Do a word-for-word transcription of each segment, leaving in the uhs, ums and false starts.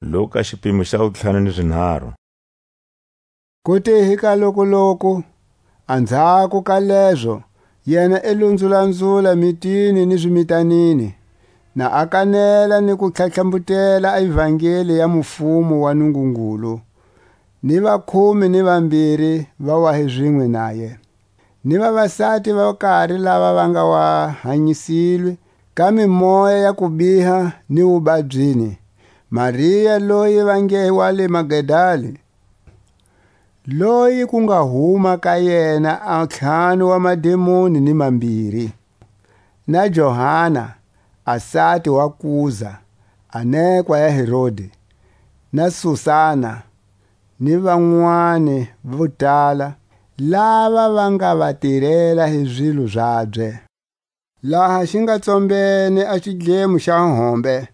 loku ka xipimo xa wutlhanu ni zinharhu. Ku te hi ka lokoloko, anzhako ka lezo, yena i lo nzulanzula mitini ni zimitanini, na a kanela ni ku tlhatlhambutela a ivangeli ya mufumo wa Nungungulu, ni vakhume ni vambiri va wa hi zinwe naye, ni vavasati va kari lava va nga wa hanyisilwe ka mimoya ya kubiha ni wubabyini, Maria loyi va nge wa le Magdali, loyi ku nga huma ka yena a ntlhanu wa mademoni ni mambiri, na Johana, a sati wa Kuza, a nekwa ya Herodi, na Susana, ni vanwani vo tala, lava va nga va tirela hi zilo zabye. Laha xi nga tsombene a xidlemo xa hombe,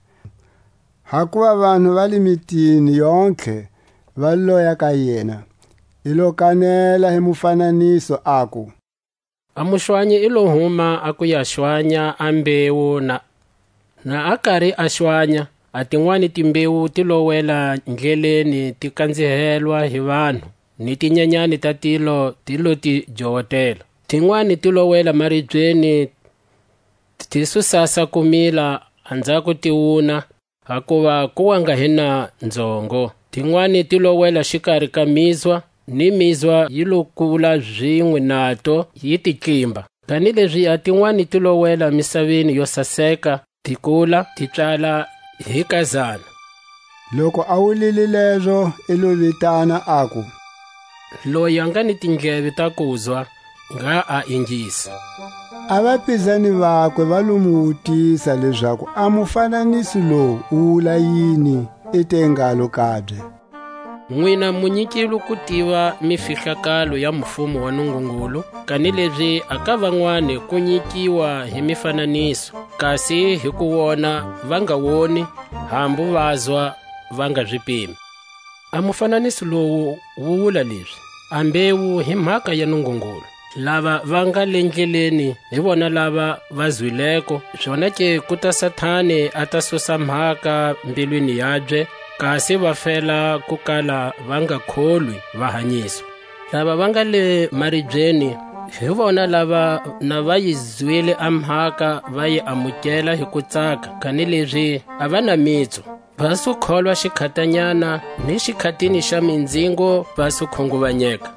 hakuva vanhu va le mitini yontlhe va loya ka yena, i lo kanela hi mufananiso, aku: A muxwanyi i lo huma a ku ya xwanya a mbewu, na, na a kari a xwanya, a tinwani timbewu ti lo wela ndleleni, ti kanzihelwa hi vanhu, ni tinyenyani ta tilo ti lo ti jowotela. Tinwani ti lo wela maribyeni, ti su sasa ku mila, anzhako ti wuna, hakuva ku wa nga hi na nzhongo. Tinwani ti lo wela xikari ka mizwa, ni mizwa yi lo kula zinwe nato, yi ti tlimba. Kanilezi a tinwani ti lo wela misaveni yo saseka, ti kula, ti pswala hi kazana. Loku a wulile lezo, i lo vitana, aku: Loyi a nga ni tindleve ta kuzwa, ngha a ingisa. A vapizani vakwe va lo mu wutisa lezaku a mufananiso lowu wu wula yini, i te ngalo kabye: Nwina mu nyikilwe ku tiva mifihlakalo ya mufumo wa Nungungulu, kanilezi a ka vanwani ku nyikiwa hi mifananiso, kasi hi ku wona va nga woni, hambu vazwa va nga zi pimi. A mufananiso lowu wu wula lezi: A mbewu hi mhaka ya Nungungulu. Lava va nga le ndleleni hi vona lava va zwileko, zonake ku ta Satani a ta susa mhaka mbilwini yabye, kasi va fela ku kala va nga kholwi, va hanyiswa. Lava va nga le maribyeni, hi vona lava na va yi zwile a mhaka, va yi amukela hi ku tsaka, kanilezi a va na mitsu. Va su kholwa xikhatanyana, ni xikhatini xa mindzingo va su khunguvanyeka.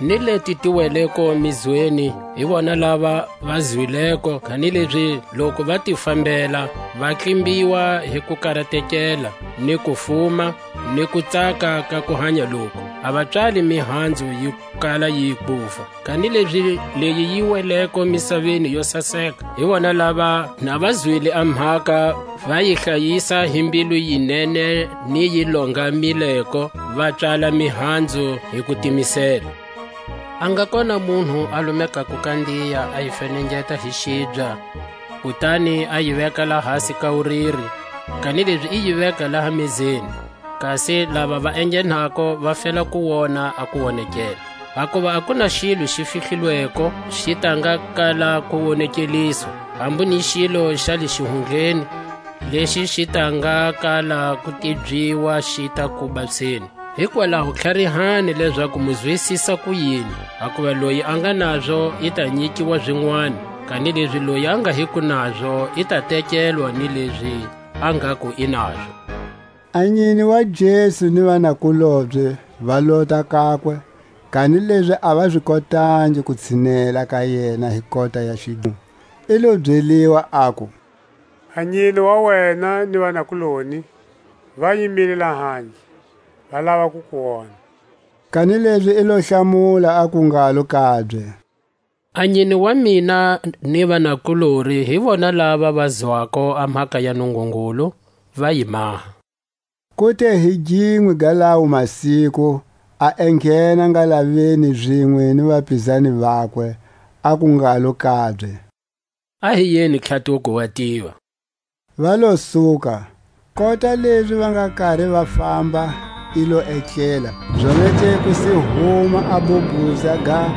Ni leti ti weleko mizweni, hi vona lava va zwileko, kanilezi loku va ti fambela, va tlimbiwa hi ku karatekela, ni ku fuma, ni ku tsaka ka ku hanya loku. A va pswali mihanzu yi kala yi bufa. Kanilezi leyi yi weleko misaveni yo saseka, hi vona lava, na va zwile a mhaka, va yi hlayisa hi mbilu yi nene ni yi longamileko, va pswala mihanzu hi ku timisela. A nga kona munhu a lumekako kandiya a yi fenengeta hi xibya, kutani a yi veka lahasi ka wuriri, kanilezi i yi veka laha mezeni. Kasi lava va enghenako va fela ku wona a kuwonekela. Hakuva a ku na xilo xi fihlilweko xi ta nga kala ku wonekeliswa, hambu ni xilo xa le xihundleni, lexi xi ta nga kala ku tibyiwa xi ta kuba tsheni. Hikwalaho tlharihani lezaku mu zwisisa ku yini, hakuva loyi a nga nazo i ta nyikiwa zinwani, kanilezi loyi a nga hiko nazo i ta tekelwa ni lezi a ngaku i nazo. A nyine wa Jesu ni vanakulobye va lota kakwe, kanilezi a va zi kotangi ku tshinela ka yena hi kota ya xidlemo. I lo byeliwa, aku: A nyine wa wena ni vanakuloni va yimile lahandle, va lava ku ku wona. Kanilezi i lo hlamula, aku ngalo kabye: A nyine wa mina ni vanakulori hi vona lava va zwako a mhaka ya Nungungulu, va yi maha. Ku te hi ginwe ga lawo masiku, a enghena ngalaveni zinwe ni vapizani vakwe, aku ngalo kabye: A hi yeni tlhatuko wa tiva. Va lo suka, kota lezi va nga kari va famba, i lo etlela. Zonake ku si huma a bobuza ga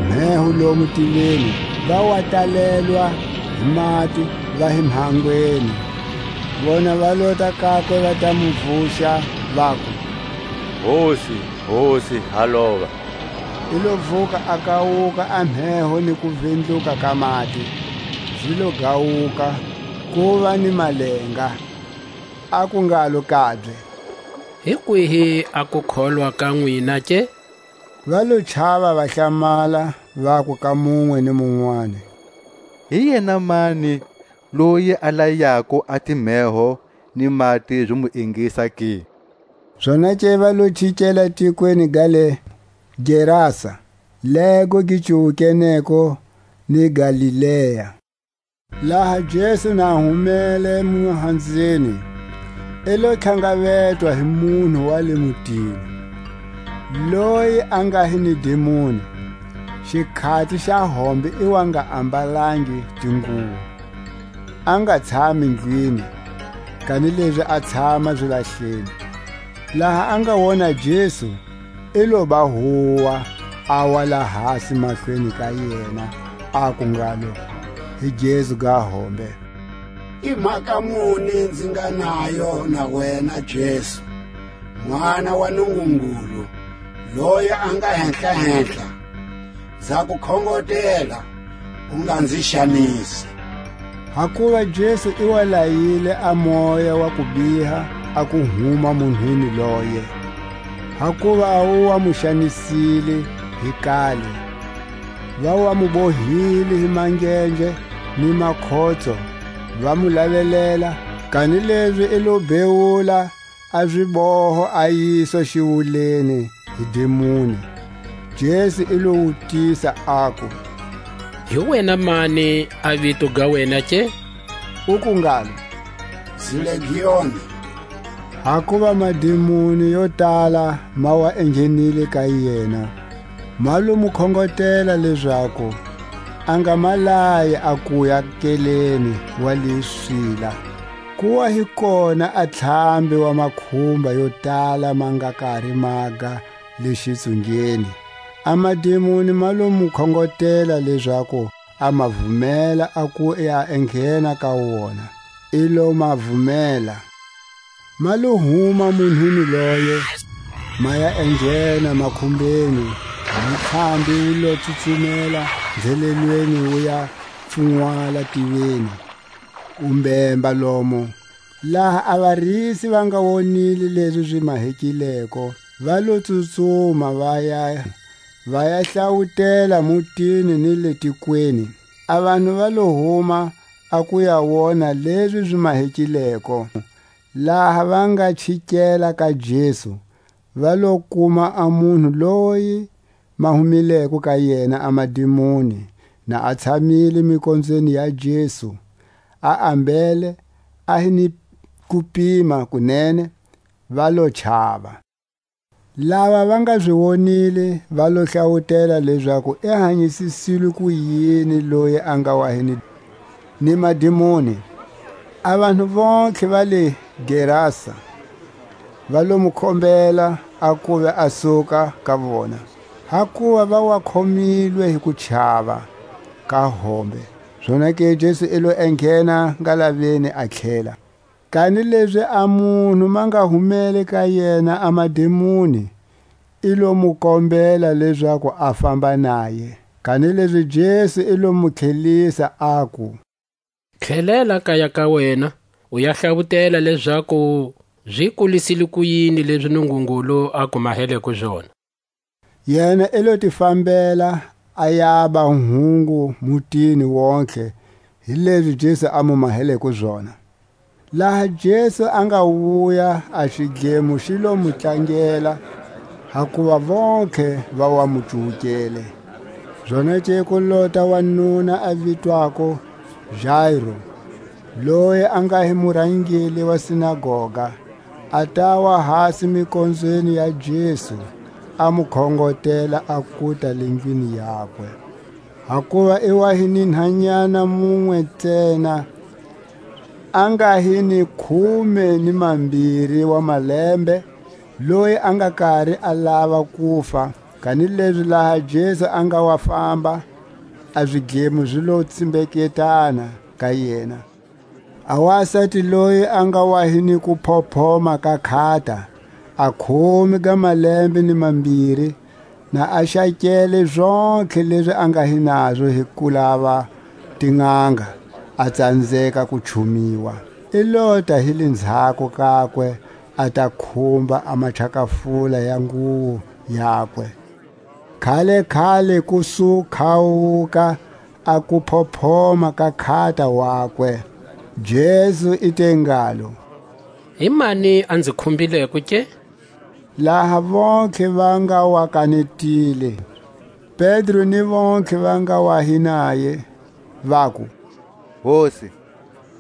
mheho lomu tilweni, va wa talelwa hi mati, va hi mhangweni. Vona va lota kakwe, va ta mu vuxa, vaku: "Hosi, Hosi, ha lova!" I lo vuka, a kawuka a mheho ni kuvindluka ka mati, zi lo gawuka, kuva ni malenga. Aku ngalo kabye: "Hi kwihi a kukholwa ka nwina ke?" Va lo chava, va hlamala, vaku ka munwe ni munwani: "Hi yena mani loyi a layako a timheho ni mati zi mu ingisa ke?" Zonake va lo chikela tikweni ga le Gerasa, lego gi cuwukeneko ni Galilea. Laha Jesu na humele muhanzeni, i lo tlhangavetwa hi munhu wa le mutini, loyi a nga hi ni dimoni, xikhati xa hombe i wa nga ambalangi tinguwo, a nga tshami ndlwini, kanilezi a tshama zilahleni. Laha a nga wona Jesu, i lo ba huwa, a wa lahasi mahlweni ka yena, aku ngalo: "Hi Jesu ga hombe! I mhaka muni nzi nga nayo na wena, Jesu, N'wana wa Nungungulu, loyi a nga Henhla-henhla? Nza ku khongotela, u nga nzi xanisi." Hakuva Jesu i wa layile a moya wa kubiha a ku huma munhwini loye, hakuva a wu wa mu xanisile hi kale. Va wa mu bohile hi mangenje ni makhotso, va mu lavelela, kanilezi i lo bewula a ziboho, a yiswa xiwuleni hi dimoni. Jesu i lo wutisa, aku: "Hi wena mani a vito ga wena ke?" Uku ngalo: "Nzi Legioni." Hakuva madimoni yo tala ma wa enghenile ka yena, ma lo mu khongotela lezaku a nga ma layi a kuya keleni wa le swila. Ku wa hi kona a ntlhambi wa makhumba yo tala ma nga kari maga le xitsungeni. A madimoni ma lo mu khongotela lezaku a ma vumela a ku ya enghena ka wona. I lo ma vumela. Ma lo huma munhwini loye, ma ya enghena makhumbeni, a ntlhambi wu lo tsutsumela nzelelweni wu ya pfunwala tiveni, u mbemba lomo. Laha a varisi va nga wonile lezi zi mahekileko, va lo tsutsuma va ya, va ya hlawutela mutini ni le tikweni. A vanhu va lo huma a ku ya wona lezi zi mahekileko. Laha va nga chikela ka Jesu, va lo kuma a munhu loyi ma humileko ka yena a madimoni, na a tshamile mikonzweni ya Jesu, a ambele, a hi ni kupima kunene, va lo chava. Lava va nga zi wonile va lo hlawutela lezaku i hanyisisilwe ku yini loyi a nga wa hi ni, ni madimoni. A vanhu vontlhe va le Gerasa va lo mu kombela a kuve a suka ka vona, hakuva va wa khomilwe hi kuchava ka hombe. Zonake Jesu i lo enghena ngalaveni a tlhela. Kanilezi a munhu ma nga humele ka yena a madimoni, i lo mu kombela lezaku a famba naye. Kanilezi Jesu i lo mu tlhelisa, aku: "Tlhelela kaya ka wena, u ya hlavutela lezaku zi kulisile ku yini lezi Nungungulu a ku maheleko zona." Yena i lo ti fambela, a yaba hungu mutini wontlhe hi lezi Jesu a mu maheleko zona. Laha Jesu a nga wuya, a xidlemo xi lo mu tlangela, hakuva vontlhe va wa mu cuwukele. Zonake ku lota wanuna a vitwako Jairo, loyi a nga hi murangeli wa sinagoga, a tawa hasi mikonzweni ya Jesu, a mu khongotela a kuta le ndlwini yakwe. Hakuva i wa hi ni nhanyana munwe ntsena, a nga hi ni khume ni mambiri wa malembe, loyi a nga kari a lava kufa. Kanilezi laha Jesu a nga wa famba, a zidlemo zi lo tsimbeketana ka yena. A wasati loyi a nga wa hi ni kuphophoma ka khata, a khume ga malembe ni mambiri, na a xakele zontlhe lezi a nga hi nazo hi ku lava tin'anga, a tsanzeka ku chumiwa. I lota hi le ndzhaku kakwe, a ta khumba a machakafula ya nguwo yakwe. Khale-khale ku su khawuka a kuphophoma ka khata wakwe, Jesu i te ngalo: "Hi mani a nzi khumbileko ke?" Laha vontlhe va nga wa kanetile, Pedro ni vontlhe va nga wa hi naye, vaku: "Hosi,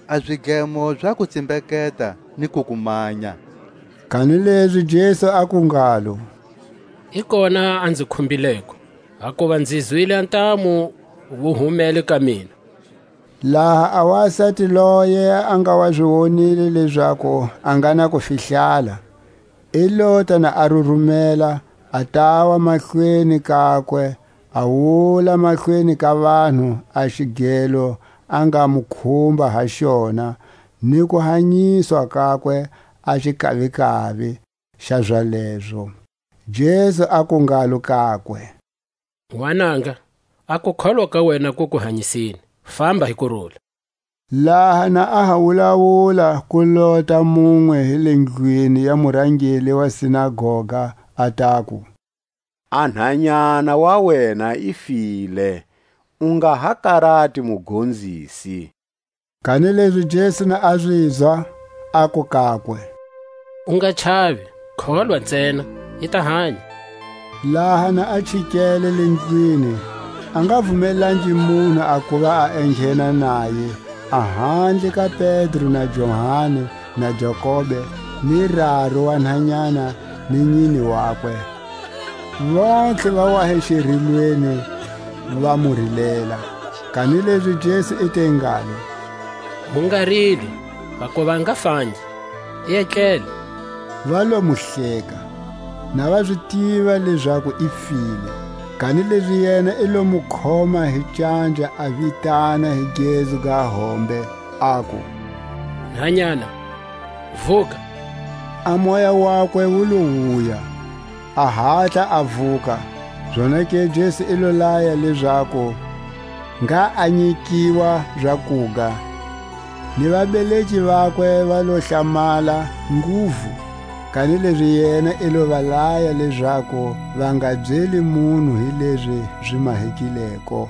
a zidlemo za ku tsimbeketa ni ku ku manya." Kanilezi Jesu aku ngalo: "I kona a nzi khumbileko, hakuva nzi zwile a ntamu wu humele ka mina." Laha a wasati loye a nga wa zi wonile lezaku a nga na kufihlala, i lota na a rurumela, a tawa mahlweni kakwe, a wula mahlweni ka vanhu a xigelo a nga mu khumba ha xona, ni kuhanyiswa kakwe a xikavikavi xa zalezo. Jesu aku ngalo kakwe: "N'wananga, a kukholwa ka wena ku ku hanyisile. Famba hi kurula." Laha na a ha wulawula, ku lota munwe hi le ndlwini ya murangeli wa sinagoga, a taku: "A nhanyana wa wena i file, u nga ha karati, Mugonzisi." Kanilezi Jesu na a zizwa, aku kakwe: "U nga chavi, kholwa ntsena, i ta hanya." Laha na a chikele le ndlwini, a nga vumelangi munhu a kuva a enghena naye, a handle ka Pedro na Johani na Jakobe, ni raru wa nhanyana ni nyini wakwe. Vontlhe va wa hi xirilweni, va mu rilela. Kanilezi Jesu i te ngalo: "Mu nga rili, vakuva a nga fangi, i etlele." Va lo mu hleka, na va zi tiva lezaku i file. Kanilezi yena i lo mu khoma hi canja, a vitana hi gezu ga hombe, aku: "Nhanyana, vuka!" A moya wakwe wu lo wuya, a hatla a vuka. Zonake Jesu i lo laya lezaku ngha a nyikiwa zakuga, ni vabeleki vakwe va lo hlamala nguvu, kanilezi yena i lo va laya lezaku va nga byeli munhu hi lezi zi mahekileko.